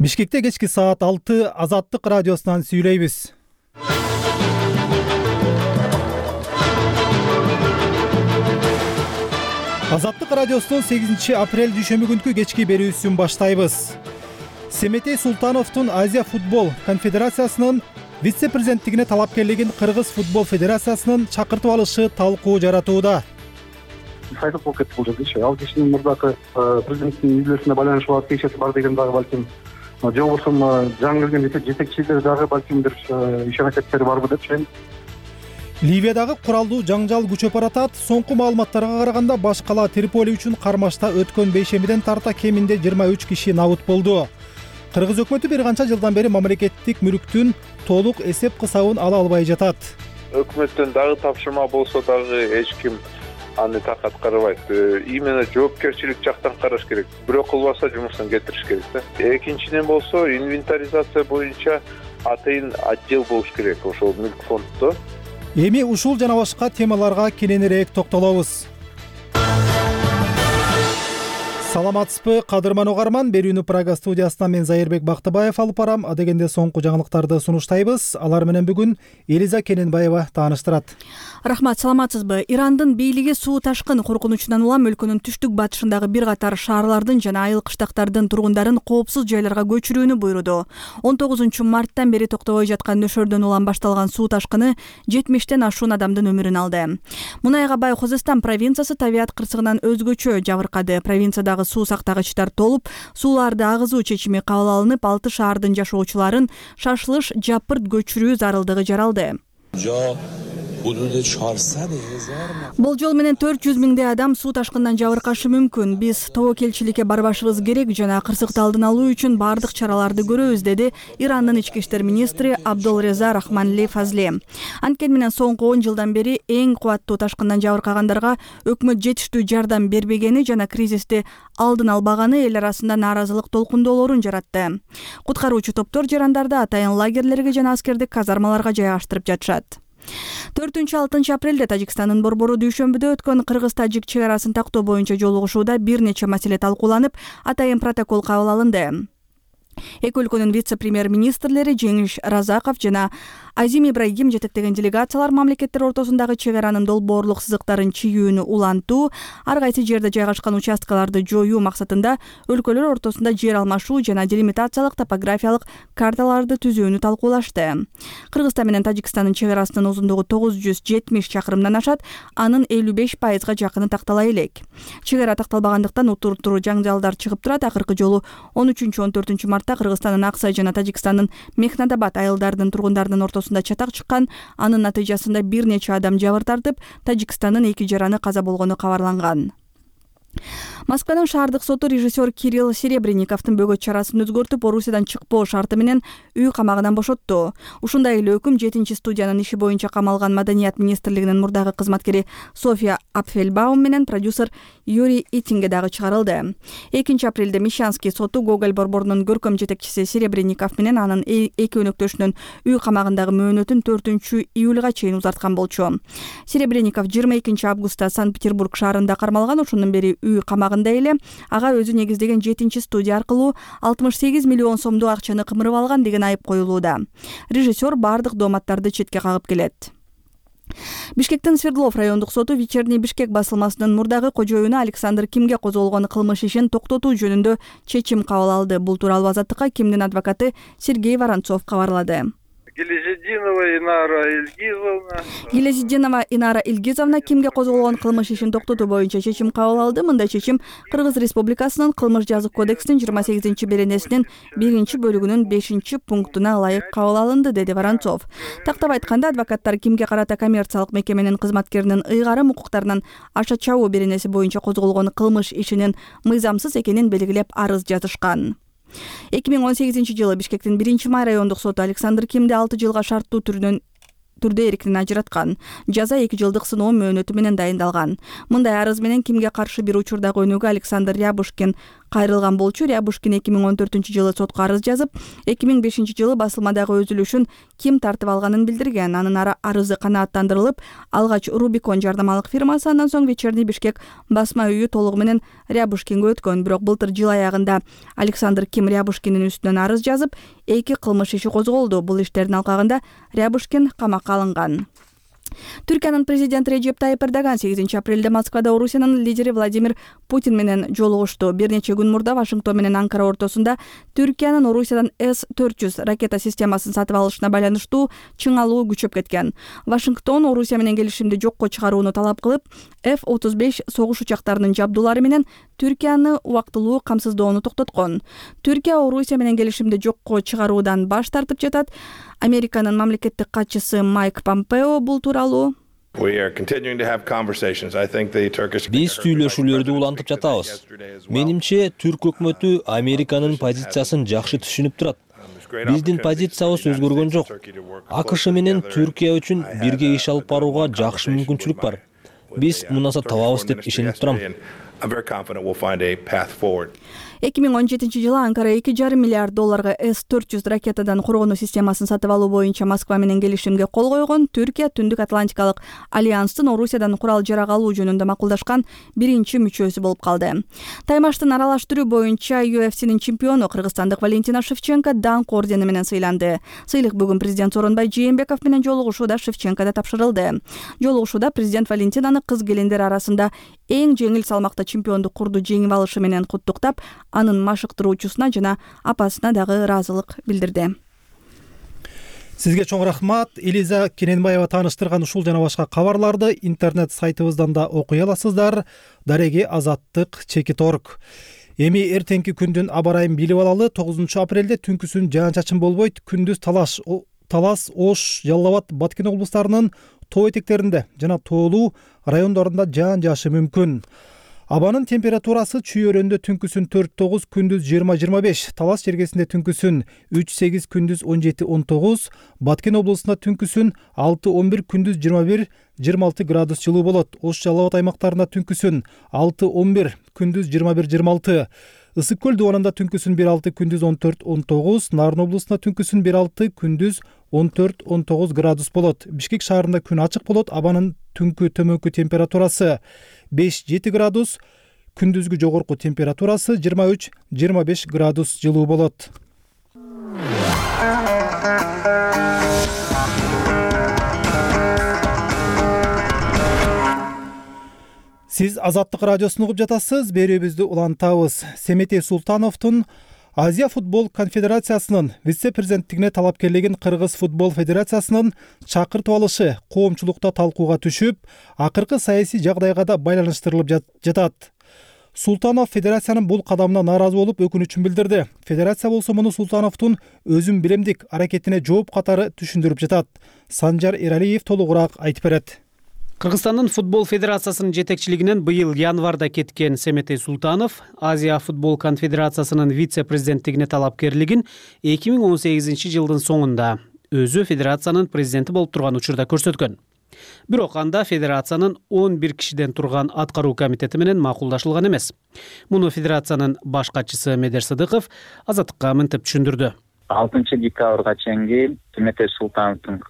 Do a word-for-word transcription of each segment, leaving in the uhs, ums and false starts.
Бишкекте кечки саат алты Азаттык радиосунан сүйлөйбүз. Азаттык радиосунун сегизинчи апрель дүйшөмбү күнкү кечки берүүсүн баштайбыз. Семетей Султановдун Азия футбол конфедерациясынын вице-президенттигине талапкерлигин Кыргыз футбол федерациясынын чакыртып алышы талкуу жаратууда. Сайтып болуп кетти бул жерде. Ал кишинин мурдакы президенттин үйлөрүнө байланышы бар, тиешеси бар деген дагы балким, же болбосо жаңы келген жетекчилер дагы балким бир иш аракеттери барбы деп ойлойм. Ливиядагы куралдуу жаңжал күчөп баратат. Соңку маалыматтарга караганда баш кала Триполи үчүн кармашта өткөн бейшемиден тарта кеминде жыйырма үч киши набыт болду. Кыргыз өкмөтү бир канча жылдан бери мамлекеттик мүлктүн толук эсеп кысабын ала албай жатат. Өкмөттөн дагы тапшырма болсо дагы эч ким аны так аткарбайт. Именно жоопкерчилик жактан караш керек. Бирөө кылбаса жумуштан кетириш керек да. Экинчиден болсо инвентаризация боюнча атайын отдел болуш керек ошол мүлк фонддо. Эми ушул жана башка темаларга кененирээк токтолобуз. Саламатсызбы, кадырман угарман. Берүүнү Прага студиясынан мен Зайырбек Бактыбаев алып барам. Адегенде соңку жаңылыктарды сунуштайбыз. Алар менен бүгүн Элиза Кененбаева тааныштырат. Рахмат, саламатсызбы. Ирандын бийлиги суу ташкын коркунучунан улам өлкөнүн түштүк батышындагы бир катар шаарлардын жана айыл кыштактардын тургундарын коопсуз жайларга көчүрүүнү буйруду. он тогузунчу марттан бери токтобой жаткан нөшөрдөн улам башталган суу ташкыны жетимиштен ашуун адамдын өмүрүн алды. Мунайга бай Хозестан провинциясы табият кырсыгынан өзгөчө жабыркады. Провинциядагы суу сактагычтар толуп, сууларды агызуу чечими кабыл алынып, алты шаардын жашоочуларын шашылыш жапырт көчүрүү зарылдыгы жаралды. Болжол менен төрт жүз миңдей адам суу ташкындан жабыркашы мүмкүн. Биз тобокелчиликке барбашыбыз керек жана кырсыкты алдын алуу үчүн бардык чараларды көрөбүз, деди Ирандын ички иштер министри Абдулреза Рахманли Фазли. Анткени менен соңку он жылдан бери эң кубаттуу ташкындан жабыркагандарга өкмөт жетиштүү жардам бербегени жана кризисти алдын албаганы эл арасында нааразылык толкундоолорун жаратты. Куткаруучу топтор жарандарды атайын лагерлерге жана аскердик казармаларга жайгаштырып жатышат. төртүнчү алтынчы апрелде Тажикстандын борбору дүйшөмбүдө өткөн Кыргыз-Тажик чек арасын тактоо боюнча жолугушууда бир нече маселе талкууланып, атайын протокол кабыл алынды. Эки өлкөнүн вице-премьер-министрлери Жеңиш Разаков жана Азим Ибрагим жетектеген делегациялар мамлекеттер ортосундагы чек аранын долбоорлук сызыктарын чийүүнү улантуу, ар кайсы жерде жайгашкан участкаларды жоюу максатында өлкөлөр ортосунда жер алмашуу жана делимитациялык топографиялык карталарды түзүүнү талкуулашты. Кыргызстан менен Тажикстандын чек арасынын узундугу тогуз жүз жетимиш чакырымдан ашат, анын элүү беш пайызга жакыны тактала элек. Чек ара такталбагандыктан утур-утур жаңжалдар чыгып турат. Акыркы жолу он үчүнчү он төртүнчү мартта Кыргызстандын Аксай жана Тажикстандын Мехнадабад айылдарынын тургундарынын ортосунда чатак чыккан. Анын натыйжасында бир нече адам жабыр тартып, Тажикстандын эки жараны каза болгону кабарланган. Москванын шаардык соту режиссер Кирилл Серебренниковдун бөгөт чарасын өзгөртүп, Орусиядан чыкпоо шарты менен үй камагынан бошотту. Ушундай эле өкүм жетинчи студиянын иши боюнча камалган Маданият министрлигинин мурдагы кызматкери София Апфельбаум менен продюсер Юрий Итинге дагы чыгарылды. экинчи апрелде Мещанский соту Гоголь борборунун көркөм жетекчиси Серебренников менен анын эки өнөктөшүнүн үй камагындагы мөөнөтүн төртүнчү июлга чейин узарткан болчу. Серебренников жыйырма экинчи августта Санкт-Петербург шаарында кармалган. Ошондон бери үй камагында эле. Ага өзү негиздеген жетинчи студия аркылуу алтымыш сегиз миллион сомдуу акчаны кымырып алган деген айып коюлууда. Режиссер бардык дооматтарды четке кагып келет. Бишкектин Свердлов райондук соту Вечерний Бишкек басылмасынын мурдагы кожоюну Александр Кимге козголгон кылмыш ишин токтотуу жөнүндө чечим кабыл алды. Бул тууралуу Азаттыкка Кимдин адвокаты Сергей Воронцов кабарлады. Гилязиддинова Инара Ильгизовна Гилязиддинова Инара Ильгизовна Кимге козголгон кылмыш ишин токтотуу боюнча чечим кабыл алды. Мындай чечим Кыргыз Республикасынын Кылмыш жазык кодексинин жыйырма сегизинчи беренесинин биринчи бөлүгүнүн бешинчи пунктуна ылайык кабыл алынды, деди Воронцов. Тактап айтканда, адвокаттар Кимге карата коммерциялык мекеменин кызматкеринин ыйгарым укуктарынан аша чабуу беренеси боюнча козголгон кылмыш ишинин мыйзамсыз экенин белгилеп арыз жазышкан. эки миң он сегизинчи жылы Бишкектин биринчи май райондук соту Александр Кимди алты жылга шарттуу түрүнөн түрдө эркинен ажыраткан. Жаза эки жылдык сыноо мөөнөтү менен дайындалган. Мындай арыз менен Кимге каршы бир учурдагы өнүгүү Александр Рябушкин Кайрылган болчу Рябушкин эки миң он төртүнчү жылы сотко арыз жазып, эки миң бешинчи жылы басылмадагы өзүлүшүн ким тартып алганын билдирген. Анын арызы канааттандырылып, алгач Рубикон жардамалык фирмасы, андан соң Вечерний Бишкек басма үйү толугу менен Рябушкинге өткөн. Бирок былтыр жыл аягында Александр Ким Рябушкиндин үстүнөн арыз жазып, эки кылмыш иши козголду. Бул иштердин алкагында Рябушкин камакка алынган. Түркиянын президенти Режеп Тайип Эрдоган сегизинчи апрелде Москвада Орусиянын лидери Владимир Путин менен жолугушту. Бир нече күн мурда Вашингтон менен Анкара ортосунда Түркиянын Орусиядан эс төрт жүз ракета системасын сатып алышына байланыштуу чыңалуу күчөп кеткен. Вашингтон Орусия менен келишимди жокко чыгарууну талап кылып, эф отуз беш согуш учактарынын жабдуулары менен Түркияны убактылуу камсыздоону токтоткон. Түркия Орусия менен келишимди жокко чыгаруудан баш тартып жатат. Американын мамлекеттик катчысы Майк Помпео бул тууралуу биз сүйлөшүүлөрдү улантып жатабыз. Менимче түрк өкмөтү Американын позициясын жакшы түшүнүп турат. Биздин позициябыз өзгөргөн жок. АКШ менен Түркия үчүн бирге иш алып барууга жакшы мүмкүнчүлүк бар. Биз мунаса табабыз деп ишенип турам. эки миң он жетинчи жылы Анкара эки жарым миллиард долларга эс төрт жүз ракетадан коргонуу системасын сатып алуу боюнча Москва менен келишимге кол койгон. Түркия Түндүк Атлантикалык альянстын Орусиядан курал жарак алуу жөнүндө макулдашкан биринчи мүчөсү болуп калды. Таймаштын аралаш түрү боюнча ю эф синин чемпиону кыргызстандык Валентина Шевченко даңк ордени менен сыйланды. Сыйлык бүгүн президент Сооронбай Жээнбеков менен жолугушууда Шевченкода тапшырылды. Жолугушууда президент Валентинаны кыз келиндер арасында эң жеңил салмакта чемпиондук курду жеңип алышы менен куттуктап, анын машыктыруучусуна жана апасына дагы ыраазылык билдирди. Сизге чоң рахмат. Элиза Кененбаева тааныштырган ушул жана башка кабарларды интернет сайтыбыздан да окуй аласыздар. Дареги Азаттык чекит орг. Эми эртеңки күндүн аба ырайын билип алалы. тогузунчу апрелде түнкүсүн жаан-чачын болбойт. Күндүз Талаш, Талас, Ош, Жалал Абад, Баткен облустарынын тоо этектеринде жана тоолуу райондорунда жаан жаашы мүмкүн. Абанын температурасы Чүй өрөндө түнкүсүн төрт тогуз, күндүз жыйырма жыйырма беш, Талас жергесинде түнкүсүн үч сегиз, күндүз он жети он тогуз, Баткен облусунда түнкүсүн алты он бир, күндүз жыйырма бир жыйырма алты градус жылуу болот. Ош Жалал Абад аймактарында түнкүсүн алты он бир, күндүз жыйырма бир жыйырма алты. Ысык көл дубанында түнкүсүн бир алты, күндүз он төрт он тогуз, Нарын облусунда түнкүсүн бир алты, күндүз он төрт он тогуз градус болот. Бишкек шаарында күн ачык болот. Абанын түнкү төмөнкү температурасы беш жети градус, күндүзгү жогорку температурасы жыйырма үч жыйырма беш градус жылуу болот. Сиз Азаттык радиосун угуп жатасыз. Берүүбүздү улантабыз. Семетей Султановдун Азия футбол конфедерациясынын вице-президенттигине талапкерлигин Кыргыз футбол федерациясынын чакыртып алышы коомчулукта талкууга түшүп, акыркы саясий жагдайга да байланыштырылып жатат. Султанов федерациянын бул кадамына нааразы болуп, өкүнүчүн билдирди. Федерация болсо муну Султановдун өзүн билемдик аракетине жооп катары түшүндүрүп жатат. Санжар Эралиев толугураак айтып берет. Кыргызстандын футбол федерациясынын жетекчилигинен быйыл январда кеткен Семетей Султанов Азия футбол конфедерациясынын вице-президенттигине талапкерлигин эки миң он сегизинчи жылдын соңунда өзү федерациянын президенти болуп турган учурда көрсөткөн. Бирок анда федерациянын он бир кишиден турган аткаруу комитети менен макулдашылган эмес. Муну федерациянын баш катчысы Медер Сыдыков Азаттыкка мынтип түшүндүрдү. алтынчы декабрга чейин Семетей Султановдун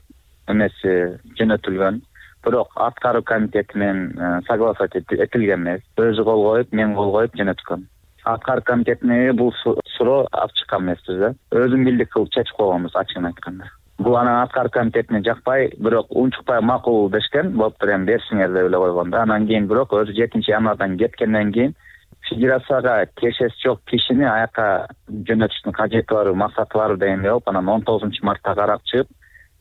эмеси жөнөтүлгөн. Бирок аткаруу комитети менен согласовать этилген эмес. Өзү кол коюп, мен кол коюп жөнөткөн. Аткаруу комитетине бул суроо алып чыккан эмеспиз да. Өзүм билдик кылып чечип койгонбуз, ачыгын айтканда. Бул анан аткаруу комитетине жакпай, бирок унчукпай макул дешкен, болуптур эми берсиңер деп эле койгон да. Анан кийин бирок өзү жетинчи январдан кеткенден кийин федерацияга тиешеси жок кишини аяка жөнөтүштүн кажети бар, максаты бар дегенде болуп, анан он тогузунчу мартта карап чыгып,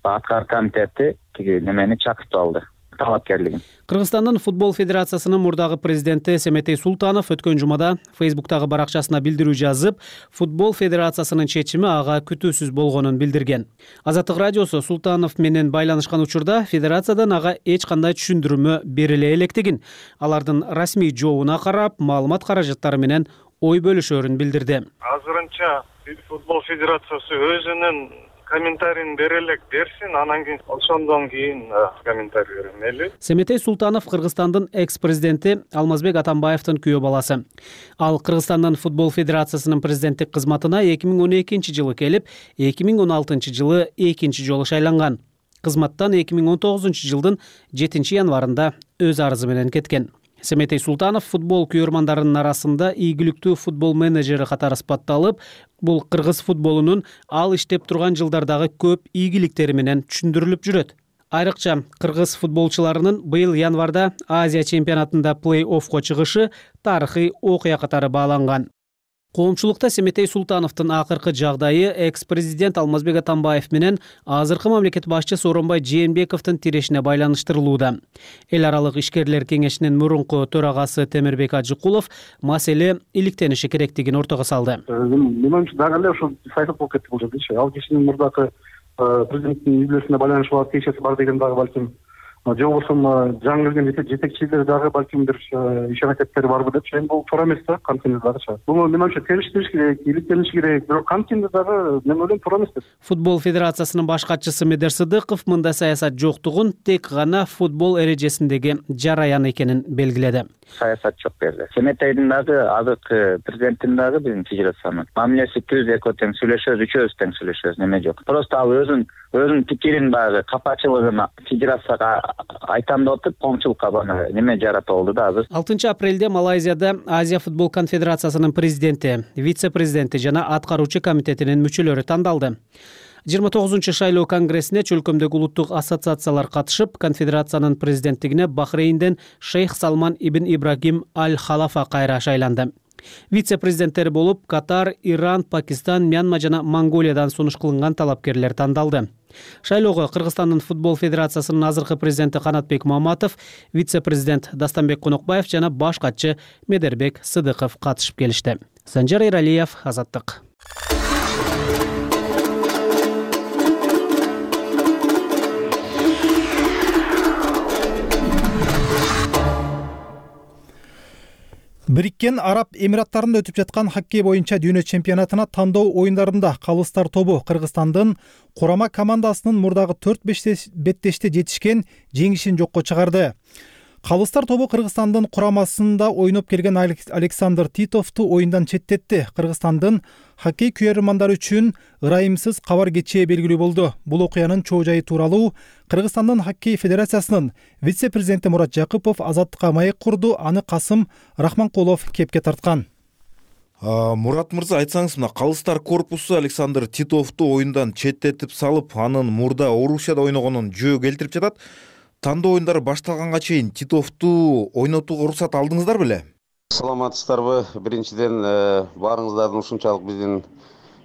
аткаруу комитети тиги немени чакыртып алды. Кыргызстандын футбол федерациясынын мурдагы президенти Семетей Султанов өткөн жумада Фейсбуктагы баракчасына билдирүү жазып, футбол федерациясынын чечими ага күтүүсүз болгонун билдирген. Азаттык радиосу Султанов менен байланышкан учурда федерациядан ага эч кандай түшүндүрмө бериле электигин, алардын расмий жообуна карап, маалымат каражаттары менен ой бөлүшөрүн билдирди. Азырынча футбол федерациясы өзүнүн комментарийин бере элек берсин, анан кийин ошондон кийин комментарий берем эле. Семетей Султанов Кыргызстандын экс-президенти Алмазбек Атамбаевдин күйөө баласы. Ал Кыргызстандын футбол федерациясынын президенттик кызматына эки миң он экинчи жылы келип, эки миң он алтынчы жылы экинчи жолу шайланган. Кызматтан эки миң он тогузунчу жылдын жетинчи январында өз арызы менен кеткен. Семетей Султанов футбол күйөрмандарынын арасында ийгиликтүү футбол менеджери катары сыпатталып, бул кыргыз футболунун ал иштеп турган жылдардагы көп ийгиликтери менен түшүндүрүлүп жүрөт. Айрыкча кыргыз футболчуларынын быйыл январда Азия чемпионатында плей-оффко чыгышы тарыхый окуя катары бааланган. Коомчулукта Семетей Султановдун акыркы жагдайы экс-президент Алмазбек Атамбаев менен азыркы мамлекет башчысы Сооронбай Жээнбековдун тирешине байланыштырылууда. Эл аралык ишкерлер кеңешинин мурунку төрагасы Темирбек Ажыкулов маселе иликтениши керектигин ортого салды. Менин оюмча дагы эле ушул сайтып болуп кетти бул жерде. Ал кишинин мурдакы президенттин үй-бүлөсүнө байланышлуу тиешеси бар деген дагы балким, же болбосо жаңы келген жетекчилер дагы балким бир иш аракеттери барбы деп, эми бул туура эмес да, канткенде дагычы. Бул менин оюмча териштириш керек, иликтениш керек, бирок канткенде дагы мен ойлойм туура эмес деп. Футбол федерациясынын баш катчысы Медер Сыдыков мындай саясат жоктугун тек гана футбол эрежесиндеги жараян экенин белгиледи. Саясат жок берди. Семетейдин дагы азыркы президенттин дагы биздин федерациянын мамилеси түз, эко тең сүйлөшөбүз, үчөөбүз тең сүйлөшөбүз, неме жок. Просто ал өзүн өзүнүн пикирин багы капачылыгын федерацияга айтам деп атып, коомчулукка бана неме жарата болду да азыр. алтынчы апрелде Малайзияда Азия футбол конфедерациясынын президенти, вице-президенти жана аткаруучу комитетинин мүчөлөрү тандалды. жыйырма тогузунчу шайлоо конгрессине чөлкөмдөгү улуттук ассоциациялар катышып, конфедерациянын президенттигине Бахрейнден Шейх Салман ибн Ибрагим аль-Халафа кайра шайланды. Вице-президенттери болуп Катар, Иран, Пакистан, Мьянма жана Монголиядан сунуш кылынган талапкерлер тандалды. Шайлоого Кыргызстандын футбол федерациясынын азыркы президенти Канатбек Маматов, вице-президент Дастанбек Конокбаев жана баш катчы Медербек Сыдыков катышып келишти. Санжар Эралиев, Азаттык. Бириккен Араб Эмираттарында өтүп жаткан хоккей боюнча дүйнө чемпионатына тандоо оюндарында Калыстар тобу Кыргызстандын курама командасынын мурдагы төрт беттеште жетишкен жеңишин жокко чыгарды. Калыстар тобу Кыргызстандын курамасында ойноп келген Александр Титовду оюндан четтетти. Кыргызстандын хоккей күйөрмандары үчүн ырайымсыз кабар кечээ белгилүү болду. Бул окуянын чоо жайы тууралуу Кыргызстандын хоккей федерациясынын вице-президенти Мурат Жакыпов Азаттыкка маек курду. Аны Касым Рахманкулов кепке тарткан. Мурат мырза, айтсаңыз, мына Калыстар корпусу Александр Титовду оюндан четтетип салып, анын мурда Орусияда ойногонун жөө келтирип жатат. Тандоо оюндары башталганга чейин Титовду ойнотууга уруксат алдыңыздар беле? Саламатсыздарбы? Биринчиден баарыңыздардын ушунчалык биздин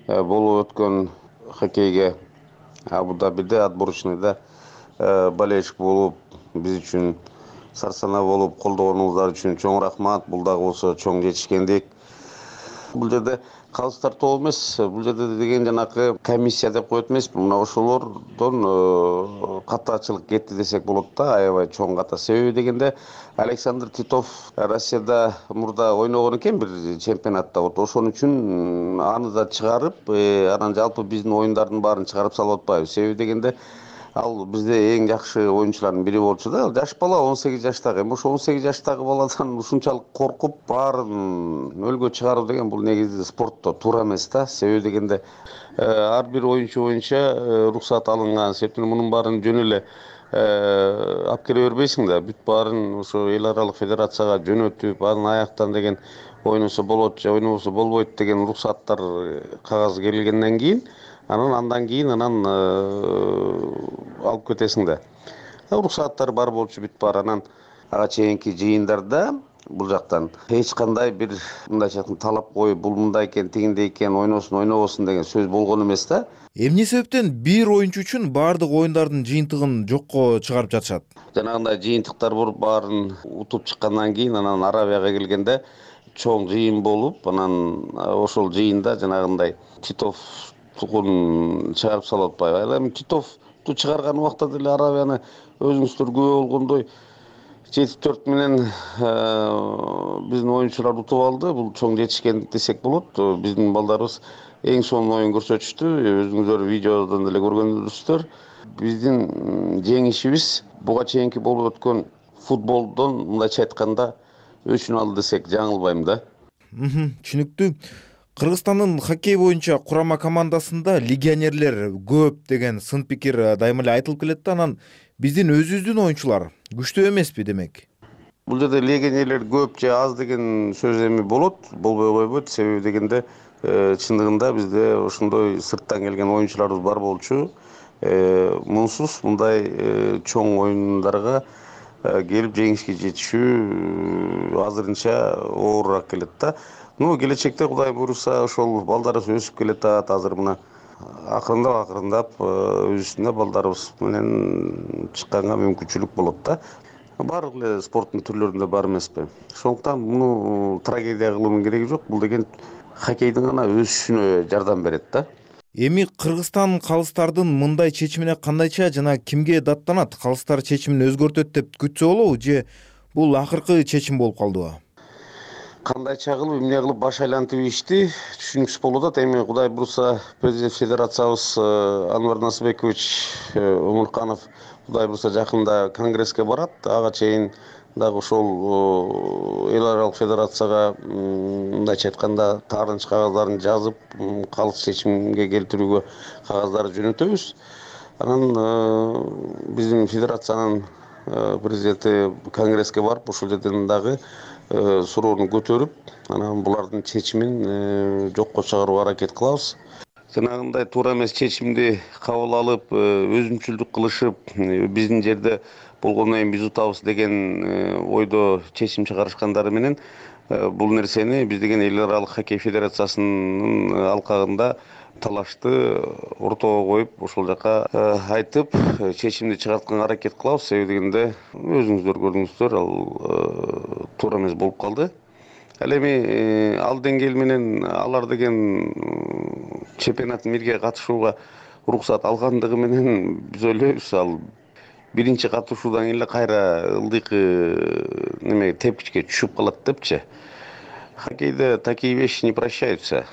болуп өткөн хоккейге Абу-Дабиде отборочныйда болельщик болуп, биз үчүн сарсана болуп колдогонуңуздар үчүн чоң рахмат. Бул дагы болсо чоң жетишкендик. Бул жерде Калыстар тобу эмес, бул жерде деген жанакы комиссия деп коет эмеспи. Мына ошолордон катачылык кетти десек болот да, аябай чоң ката. Себеби дегенде Александр Титов Россияда мурда ойногон экен бир чемпионатта. Вот ошон үчүн аны да чыгарып, анан жалпы биздин оюндардын баарын чыгарып салып атпайбыз. Себеби дегенде ал бизде эң жакшы оюнчулардын бири болчу да. Жаш бала он сегиз жаштагы. Эми ошо он сегиз жаштагы баладан ушунчалык коркуп баарын өлгө чыгаруу деген бул негизи спортто туура эмес да. Себеби дегенде ар бир оюнчу боюнча уруксат алынган. Себептен мунун баарын жөн эле алып келе бербейсиң да. Бүт баарын ошо эл аралык федерацияга жөнөтүп, анын аяктан деген ойносо болот же ойнобосо болбойт деген уруксаттар кагаз келгенден кийин анан андан кийин анан алып кетесиң да. Уруксаттар бар болчу бүт бар. Анан ага чейинки жыйындарда бул жактан эч кандай бир мындайча айтканда талап коюп, бул мындай экен, тигиндей экен, ойносун, ойнобосун деген сөз болгон эмес да. Эмне себептен бир оюнчу үчүн баардык оюндардын жыйынтыгын жокко чыгарып жатышат? Жанагындай жыйынтыктар болуп, баарын утуп чыккандан кийин анан Арабияга келгенде чоң жыйын болуп, анан ошол жыйында жанагындай Титов тугун чыгарып салып атпайбы. Ал эми Титовду чыгарган убакта деле Арабияны өзүңүздөр күбө болгондой жети төрт менен биздин оюнчулар утуп алды. Бул чоң жетишкендик десек болот. Биздин балдарыбыз эң сонун оюн көрсөтүштү. Өзүңүздөр видеодон деле көргөнсүздөр. Биздин жеңишибиз буга чейинки болуп өткөн футболдон мындайча айтканда өчүн алды десек жаңылбайм да. Түшүнүктүү. Кыргызстандын хоккей боюнча курама командасында легионерлер көп деген сын пикир дайыма эле айтылып келет да, анан биздин өзүбүздүн оюнчулар күчтүү эмеспи демек? Бул жерде легионерлер көп же аз деген сөз эми болот, болбой койбойт. Себеби дегенде чындыгында бизде ошондой сырттан келген оюнчуларыбыз бар болчу. Мунсуз мындай чоң оюндарга келип жеңишке жетишүү азырынча оорураак келет да. Ну, келечекте Кудай буйруса ошол балдарыбыз өсүп келатат. Азыр мына акырындап акырындап өзүнө балдарыбыз менен чыкканга мүмкүнчүлүк болот да. Баардык эле спорттун түрлөрүндө бар эмеспи. Ошондуктан муну трагедия кылуунун кереги жок. Бул деген хоккейдин гана өсүшүнө жардам берет да. Эми Кыргызстан калыстардын мындай чечимине кандайча жана кимге даттанат? Калыстар чечимин өзгөртөт деп күтсө болобу же бул акыркы чечим болуп калдыбы? Кандайча кылып, эмне кылып баш айлантып ишти түшүнүксүз болуп атат. Эми Кудай буйруса президент федерациябыз Анвар Насыбекович Омурканов Кудай буйруса жакында конгресске барат. Ага чейин дагы ошол эл аралык федерацияга мындайча айтканда таарынч кагаздарын жазып, калыс чечимге келтирүүгө кагаздарды жөнөтөбүз. Анан биздин федерациянын президенти конгресске барып, ошол жерден дагы суроону көтөрүп, анан булардын чечимин жокко чыгарууга аракет кылабыз. Жанагындай туура эмес чечимди кабыл алып, өзүмчүлдүк кылышып, биздин жерде болгондон кийин биз утабыз деген ойдо чечим чыгарышкандары менен бул нерсени биз деген эл аралык хоккей федерациясынын алкагында талашты ортого коюп, ошол жака айтып, чечимди чыгартканга аракет кылабыз. Себеби дегенде өзүңүздөр көрдүңүздөр, ал туура эмес болуп калды. Ал эми ал деңгээл менен алар деген чемпионаттын бирге катышууга уруксат алгандыгы менен биз ойлойбуз, ал биринчи катышуудан кийин эле кайра ылдыйкы неме тепкичке түшүп калат депчи. Хоккейде такие вещи не прощаются.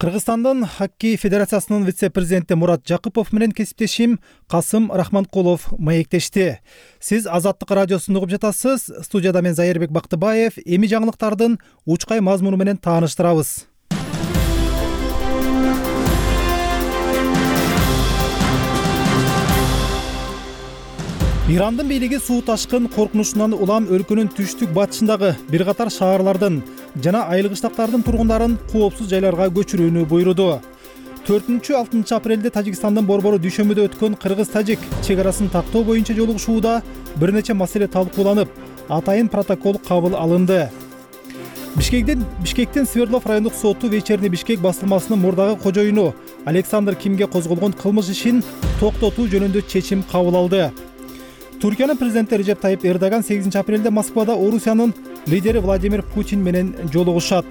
Кыргызстандын хоккей федерациясынын вице-президенти Мурат Жакыпов менен кесиптешим Касым Рахманкулов маектешти. Сиз Азаттык радиосун угуп жатасыз. Студияда мен Зайырбек Бактыбаев. Эми жаңылыктардын учкай мазмуну менен тааныштырабыз. Ирандын бийлиги суу ташкын коркунучунан улам өлкөнүн түштүк батышындагы бир катар шаарлардын жана айыл кыштактардын тургундарын коопсуз жайларга көчүрүүнү буйруду. төртүнчү алтынчы апрелде Тажикстандын Борбору дүйшөмбүдө өткөн кыргыз-тажик чек арасын тактоо боюнча жолугушууда бир нече маселе талкууланып, атайын протокол кабыл алынды. Бишкектен Бишкектин Свердлов райондук соту Вечерний Бишкек басылмасынын мурдагы кожоюну Александр Кимге козголгон кылмыш ишин токтотуу жөнүндө чечим кабыл алды. Туркиянын президенти Режеп Тайип Эрдоган сегизинчи апрелде Москвада Орусиянын лидери Владимир Путин менен жолугушат.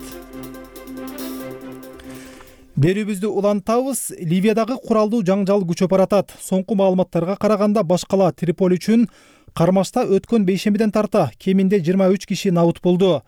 Берүүбүздү улантабыз. Ливиядагы куралдуу жаңжал күчөп баратат. Соңку маалыматтарга караганда баш кала Триполи үчүн кармашта өткөн бейшембиден тарта кеминде жыйырма үч киши набыт болду.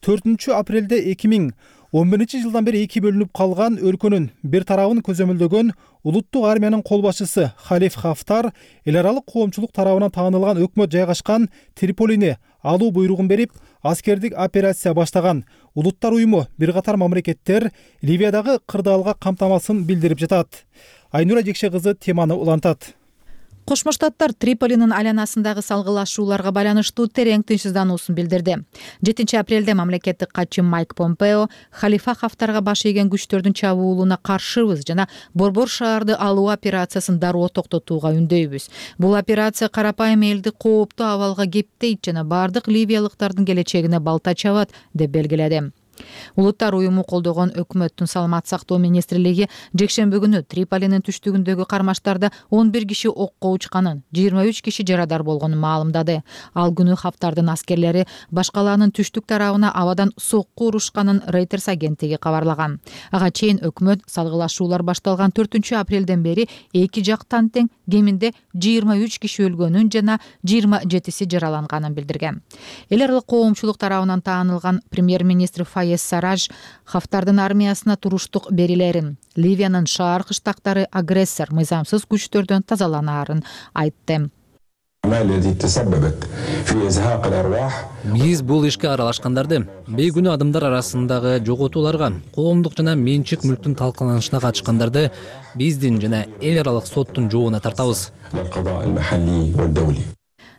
төртүнчү апрелде эки миң он биринчи жылдан бери эки бөлүнүп калган өлкөнүн бир тарабын көзөмөлдөгөн улуттук армиянын кол башчысы Халиф Хафтар эл аралык коомчулук тарабынан таанылган өкмөт жайгашкан Триполини алуу буйругун берип, аскердик операция баштаган. Улуттар уюму бир катар мамлекеттер Ливиядагы кырдаалга камтамасын билдирип жатат. Айнура Жекше кызы теманы улантат. Кошмо Штаттар Триполинин айланасындагы салгылашууларга байланыштуу терең тынчсыздануусун билдирди. жетинчи апрелде мамлекеттик катчы Майк Помпео Халифа Хафтарга баш ийген күчтөрдүн чабуулуна каршыбыз жана Борбор шаарды алуу операциясын дароо токтотууга үндөйбүз. Бул операция карапайым элди кооптуу абалга кептейт жана бардык ливиялыктардын келечегине балта чабат деп белгиледи. Улуттар уюму колдогон өкмөттүн саламат сактоо министрлиги жекшемби күнү Триполинин түштүгүндөгү кармаштарда он бир киши окко учканын, жыйырма үч киши жарадар болгонун маалымдады. Ал күнү Хафтардын аскерлери баш калаанын түштүк тарабына абадан сокку урушканын Reuters агенттиги кабарлаган. Ага чейин өкмөт салгылашуулар башталган төртүнчү апрелден бери эки жактан тең кеминде жыйырма үч киши өлгөнүн жана жыйырма жетиси жараланганын билдирген. Эл аралык коомчулук тарабынан таанылган премьер-министр Файез Сарадж Хафтардын армиясына туруштук берилерин, Ливиянын шаар кыштактары агрессор мыйзамсыз күчтөрдөн тазаланаарын айтты. Биз бул ишке аралашкандарды, бейгүнөө адамдар арасындагы жоготууларга, коомдук жана менчик мүлктүн талкаланышына катышкандарды биздин жана эл аралык соттун жообуна тартабыз.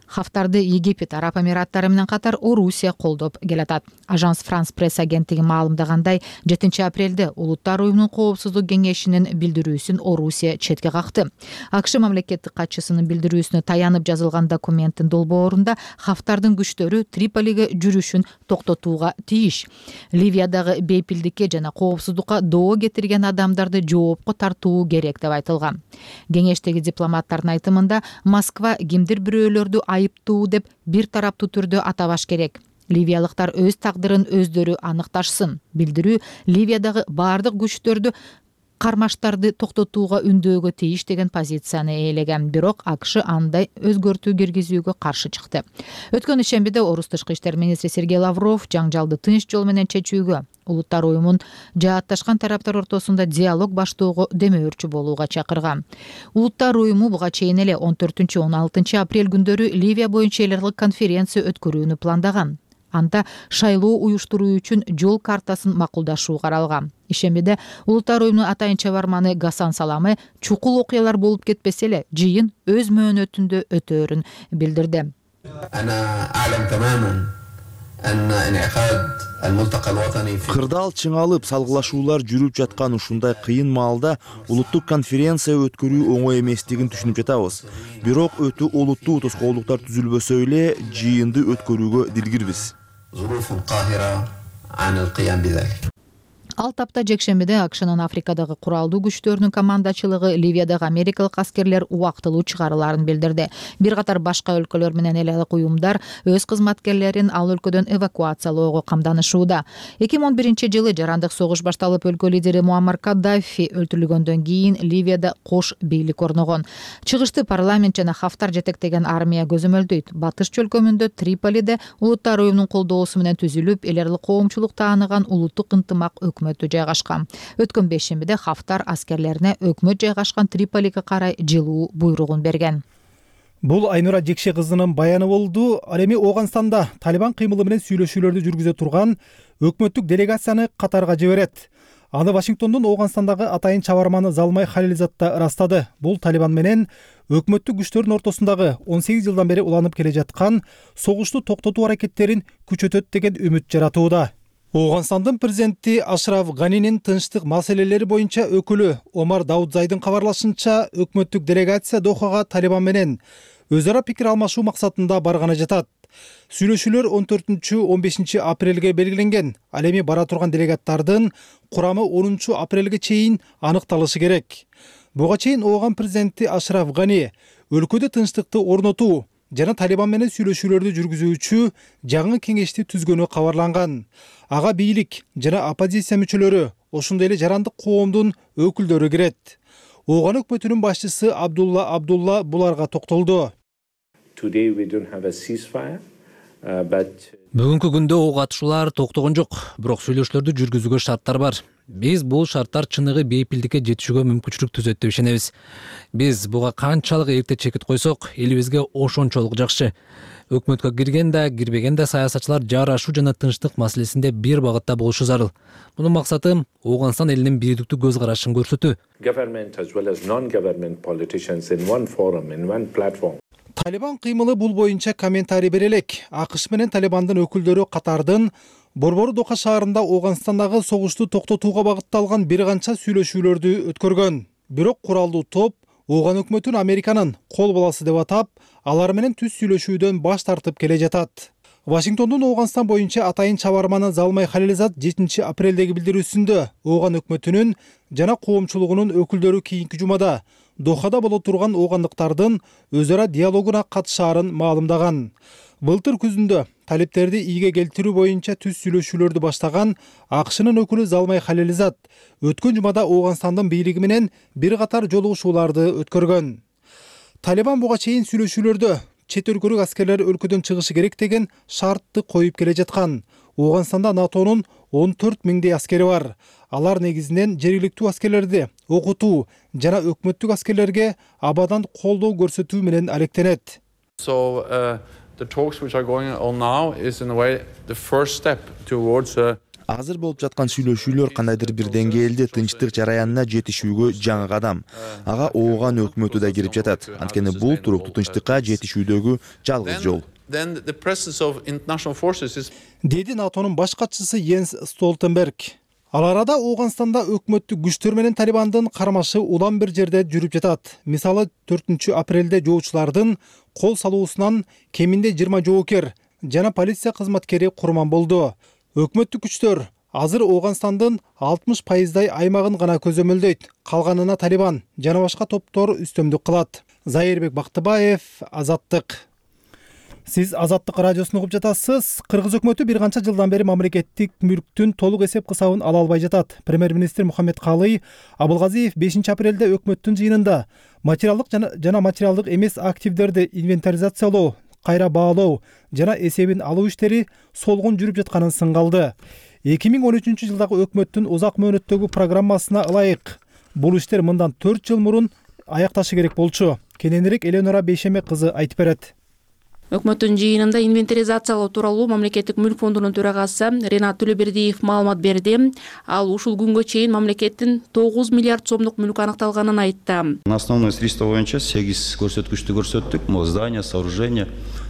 Хафтарды Египет, Араб Эмираттары менен катар Орусия колдоп келатат. Ажанс Франс пресс агенттиги маалымдагандай, жетинчи апрелде Улуттар уюмунун коопсуздук кеңешинин билдирүүсүн Орусия четке какты. АКШ мамлекеттик катчысынын билдирүүсүнө таянып жазылган документтин долбоорунда Хафтардын күчтөрү Триполиге жүрүшүн токтотууга тийиш. Ливиядагы бейпилдикке жана коопсуздукка доо кетирген адамдарды жоопко тартуу керек деп айтылган. Кеңештеги дипломаттардын айтымында Москва кимдир бирөөлөрдү айыптуу деп бир тараптуу түрдө атабаш керек. Ливиялыктар өз тагдырын өздөрү аныкташсын. Билдирүү Ливиядагы бардык күчтөрдү кармаштарды токтотууга үндөөгө тийиш деген позицияны ээлеген. Бирок АКШ андай өзгөртүү киргизүүгө каршы чыкты. Өткөн ишембиде Орус тышкы иштер министри Сергей Лавров жаңжалды тынч жол менен чечүүгө, Улуттар уюмун жаатташкан тараптар ортосунда диалог баштоого демөөрчү болууга чакырган. Улуттар уюму буга чейин эле он төртүнчү он алтынчы апрель күндөрү Ливия боюнча эл аралык конференция өткөрүүнү пландаган. Анда шайлоо уюштуруу үчүн жол картасын макулдашуу каралган. Ишембиде Улуттар уюмунун атайын чабарманы Гасан Саламе чукул окуялар болуп кетпесе эле жыйын өз мөөнөтүндө өтөөрүн билдирди. Кырдаал чыңалып, салгылашуулар жүрүп жаткан ушундай кыйын маалда улуттук конференция өткөрүү оңой эместигин түшүнүп жатабыз. Бирок өтө олуттуу тоскоолдуктар түзүлбөсө эле жыйынды өткөрүүгө дилгирбиз. Ал тапта жекшембиде АКШнын Африкадагы куралдуу күчтөрүнүн командачылыгы Ливиядагы америкалык аскерлер убактылуу чыгарыларын билдирди. Бир катар башка өлкөлөр менен эл аралык уюмдар өз кызматкерлерин ал өлкөдөн эвакуациялоого камданышууда. эки миң он биринчи жылы жарандык согуш башталып өлкө лидери Муаммар Каддафи өлтүрүлгөндөн кийин Ливияда кош бийлик орногон. Чыгышты парламент жана Хафтар жетектеген армия көзөмөлдөйт. Батыш чөлкөмүндө Триполиде Улуттар уюмунун колдоосу менен түзүлүп, эл аралык коомчулук тааныган улуттук ынтымак өкмөт жайгашкан. Өткөн бейшембиде Хафтар аскерлерине өкмөт жайгашкан Триполиге карай жылуу буйругун берген. Бул Айнура Жекше кызынын баяны болду. Ал эми Ооганстанда Талибан кыймылы менен сүйлөшүүлөрдү жүргүзө турган өкмөттүк делегацияны Катарга жиберет. Аны Вашингтондун Ооганстандагы атайын чабарманы Залмай Халилзад да ырастады. Бул Талибан менен өкмөттүк күчтөрдүн ортосундагы он сегиз жылдан бери уланып келе жаткан согушту токтотуу аракеттерин күчөтөт деген үмүт жаратууда. Ооганстандын президенти Ашраф Ганинин тынчтык маселелери боюнча өкүлү Омар Даудзайдын кабарлашынча, өкмөттүк делегация Дохага Талибан менен өз ара пикир алмашуу максатында барганы жатат. Сүйлөшүүлөр он төртүнчү он бешинчи апрелге белгиленген. Ал эми бара турган делегаттардын курамы онунчу апрелге чейин аныкталышы керек. Буга чейин Ооган президенти Ашраф Гани өлкөдө тынчтыкты орнотуу жана Талибан менен сүйлөшүүлөрдү жүргүзүүчү жаңы кеңешти түзгөнү кабарланган. Ага бийлик жана оппозиция мүчөлөрү, ошондой эле жарандык коомдун өкүлдөрү кирет. Ооган өкмөтүнүн башчысы Абдулла Абдулла буларга токтолду. Бүгүнкү күндө ок атышуулар токтогон жок, бирок сүйлөшүүлөрдү жүргүзүүгө шарттар бар. Биз бул шарттар чыныгы бейпилдикке жетишүүгө мүмкүнчүлүк түзөт деп ишенебиз. Биз буга канчалык эрте чекит койсок, элибизге ошончолук жакшы. Өкмөткө кирген да, кирбеген да саясатчылар жарашуу жана тынчтык маселесинде бир багытта болушу зарыл. Мунун максаты Ооганстан элинин бирдиктүү көз карашын көрсөтүү. Талибан кыймылы бул боюнча комментарий бере элек. АКШ менен Талибандын өкүлдөрү Катардын Борбору Доха шаарында Ооганстандагы согушту токтотууга багытталган бир канча сүйлөшүүлөрдү өткөргөн. Бирок куралдуу топ Ооган өкмөтүн Американын кол баласы деп атап, алар менен түз сүйлөшүүдөн баш тартып келе жатат. Вашингтондун Ооганстан боюнча атайын чабарманы Залмай Халилзад жетинчи апрелдеги билдирүүсүндө Ооган өкмөтүнүн жана коомчулугунун өкүлдөрү кийинки жумада Дохада боло турган оогандыктардын өз ара диалогуна катышаарын маалымдаган. Былтыр күзүндө талептерди ийге келтирүү боюнча түз сүйлөшүүлөрдү баштаган АКШнын өкүлү Залмай Халилзад өткөн жумада Ооганстандын бийлиги менен бир катар жолугушууларды өткөргөн. Талибан буга чейин сүйлөшүүлөрдө чет өлкөлүк аскерлер өлкөдөн чыгышы керек деген шартты коюп келе жаткан. Ооганстанда натонун он төрт миңдей аскери бар. Алар негизинен жергиликтүү аскерлерди окутуу жана өкмөттүк аскерлерге абадан колдоо көрсөтүү менен алектенет. So uh, the talks which are going on now is in a way the first step towards uh, Азыр болуп жаткан сүйлөшүүлөр кандайдыр бир деңгээлде тынчтык жараянына жетишүүгө жаңы кадам. Ага ооган өкмөтү да кирип жатат. Анткени бул туруктуу тынчтыкка жетишүүдөгү жалгыз жол. Then the presence of international forces is Деди натонун баш катчысы Йенс Столтенберг. Ал арада Ооганстанда өкмөттүк күчтөр менен Талибандын кармашы улам бир жерде жүрүп жатат. Мисалы төртүнчү апрелде жоочулардын кол салуусунан кеминде жыйырма жоокер жана полиция кызматкери курман болду. Өкмөттүк күчтөр азыр Ооганстандын алтымыш пайыздай аймагын гана көзөмөлдөйт. Калганына Талибан жана башка топтор үстөмдүк кылат. Зайырбек Бактыбаев, Азаттык. Сиз Азаттык радиосун угуп жатасыз. Кыргыз өкмөтү бир канча жылдан бери мамлекеттик мүлктүн толук эсеп кысабын ала албай жатат. Премьер-министр Мухаммедкалый Абылгазиев бешинчи апрелде өкмөттүн жыйынында материалдык жана материалдык эмес активдерди инвентаризациялоо, кайра баалоо жана эсебин алуу иштери солгун жүрүп жатканын сынгалды. эки миң он үчүнчү жылдагы өкмөттүн узак мөөнөттөгү программасына ылайык бул иштер мындан төрт жыл мурун аякташы керек болчу. Кененирээк Элеонора Бейшеме кызы айтып берет. Өкмөттүн жыйынында инвентаризациялоо тууралуу мамлекеттик мүлк фондунун төрагасы Ренат Төлөбердиев маалымат берди. Ал ушул күнгө чейин мамлекеттин тогуз миллиард сомдук мүлкү анықталганын айтты. На основной средства боюнча сегиз көрсөткүчтү көрсөттүк. Могу здания, сооружения,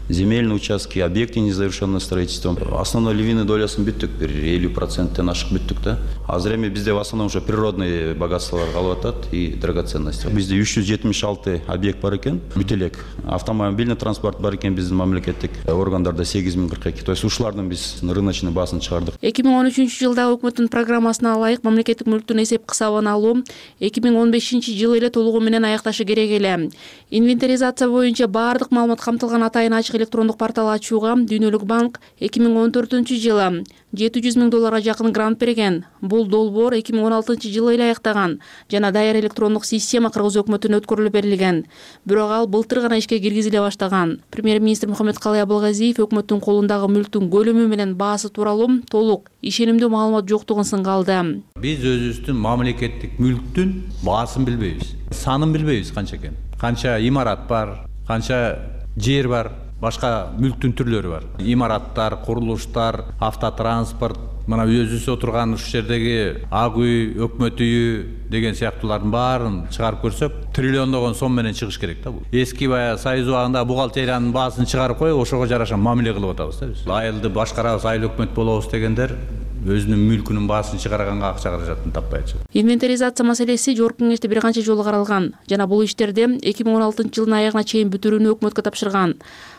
земельные участки, объекты незавершенного строительства. Основной львиный долясын бүттүк, бир элүү проценттен ашык бүттүк да. Азыр эми бизде в основном ушу природный богатстволор калып атат и драгоценности. Бизде үч жүз жетимиш алты объект бар экен. Бүт элек. Автомобильный транспорт бар экен биздин мамлекеттик органдарда сегиз миң кырк эки. То есть ушулардын биз рыночный баасын чыгардык. эки миң он үчүнчү жылдагы өкмөттүн программасына ылайык мамлекеттик мүлктүн эсеп кысабын алуу эки миң он бешинчи жылы эле толугу менен аякташы керек эле. Инвентаризация боюнча баардык маалымат камтылган атайын ачык электрондук портал ачууга Дүйнөлүк банк эки миң он төртүнчү жылы жети жүз миң долларга жакын грант берген. Бул долбоор эки миң он алтынчы жылы эле аяктаган жана даяр электрондук система Кыргыз өкмөтүнө өткөрүлүп берилген. Бирок ал былтыр гана ишке киргизиле баштаган. Премьер-министр Мухаммедкалый Абылгазиев өкмөттүн колундагы мүлктүн көлөмү менен баасы тууралуу толук ишенимдүү маалымат жоктугун сынгалды. Биз өзүбүздүн мамлекеттик мүлктүн баасын билбейбиз, санын билбейбиз канча экен. Канча имарат бар, канча жер бар, башка мүлктүн түрлөрү бар. Имараттар, курулуштар, автотранспорт, мына өзүбүз отурган ушул жердеги ак үй, өкмөт үйү деген сыяктуулардын баарын чыгарып көрсөк, триллиондогон сом менен чыгыш керек да бул. Эски баягы Союз убагында бухгалтериянын баасын чыгарып коюп, ошого жараша мамиле кылып атабыз да биз. Айылды башкарабыз, айыл өкмөт болобуз дегендер өзүнүн мүлкүнүн баасын чыгарганга акча каражатын таппай атышат. Инвентаризация маселеси жогорку кеңеште бир канча жолу каралган жана бул иштерди эки миң он алтынчы жылдын аягына чейин бүтүрүүнү өкмөткө тапшырган.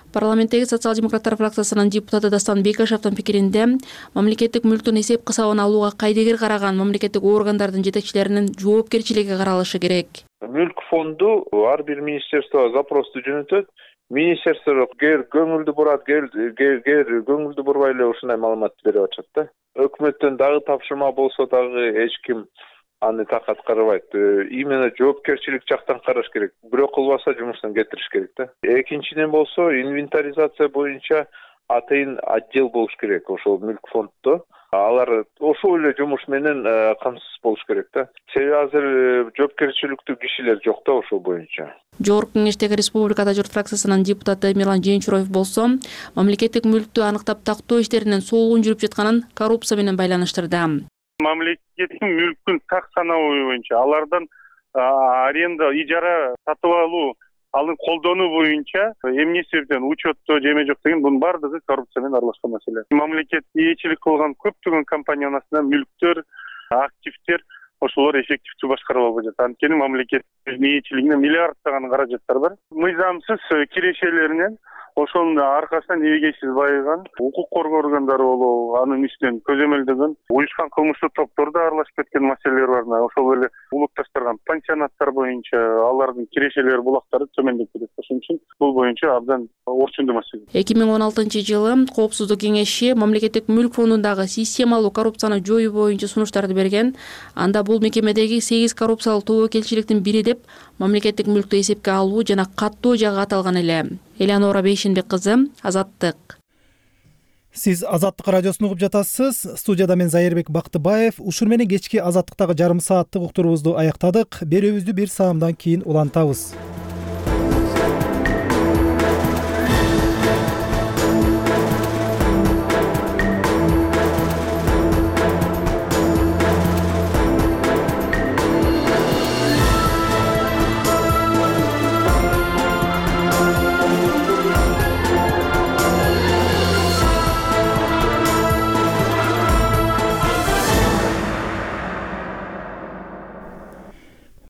Парламенттеги социал-демократтар фракциясынын депутаты Дастан Бекашевдин пикиринде мамлекеттик мүлктүн эсеп кысабын алууга кайдыгер караган мамлекеттик органдардын жетекчилеринин жоопкерчилиги каралышы керек. Мүлк фонду ар бир министерствого запросту жөнөтөт. Министерство гер көңүлдү бурат, гер гер көңүлдү бурбай эле ушундай маалымат берип атышат да. Өкмөттөн дагы тапшырма болсо дагы эч ким аны так аткарбайт. Именно жоопкерчилик жактан караш керек. Бирок кылбаса жумуштан кетириш керек да. Экинчиден болсо инвентаризация боюнча атайын отдел болуш керек ошол мүлк фонддо. Алар ошол эле жумуш менен камсыз болуш керек да. Себеби азыр жоопкерчиликтүү кишилер жок да ошол боюнча. Жогорку кеңештеги Республикада журт фракциясынын депутаты Мирлан Жээнчуроев болсо, мамлекеттик мүлктү аныктап тактоо иштеринин солгун жүрүп жатканын коррупция менен байланыштырды. Мамлекеттик мүлктүн так санабы боюнча алардан аренда, ижара сатып алуу, аны колдонуу боюнча эмне себептен учетто же эме жок деген бунун баардыгы коррупция менен аралашкан маселе. Мамлекет ээчилик кылган көптөгөн компаниянын мүлктөр, активдер ошолор эффективдүү башкарып албай жатат. Анткени мамлекет ээчилигине миллиарддаган каражаттар бар. Мыйзамсыз кирешелеринен ошонун аркасынан эбегейсиз байыган, укук коргоо органдары болобу, анын үстүнөн көзөмөлдөгөн уюшкан кылмыштуу топтор да аралашып кеткен маселелер бар. Ошол эле улутташтырган пансионаттар боюнча алардын кирешелер, булактары төмөндөп кетет. Ошон үчүн бул боюнча абдан орчундуу маселе. эки миң он алтынчы жылы Коопсуздук кеңеши мамлекеттик мүлк фондундагы системалуу коррупцияны жоюу боюнча сунуштарды берген. Анда бул мекемедеги сегиз коррупциялык тобокелчиликтин бири деп мамлекеттик мүлктү эсепке алуу жана каттоо жагы аталган эле. Элеонора Бейшенбек кызы, Азаттык. Сиз Азаттык радиосун угуп жатасыз. Студияда мен Зайырбек Бактыбаев. Ушур менен кечки Азаттыктагы жарым сааттык уктуруубузду аяктадык. Берүүбүздү бир саамдан кийин улантабыз.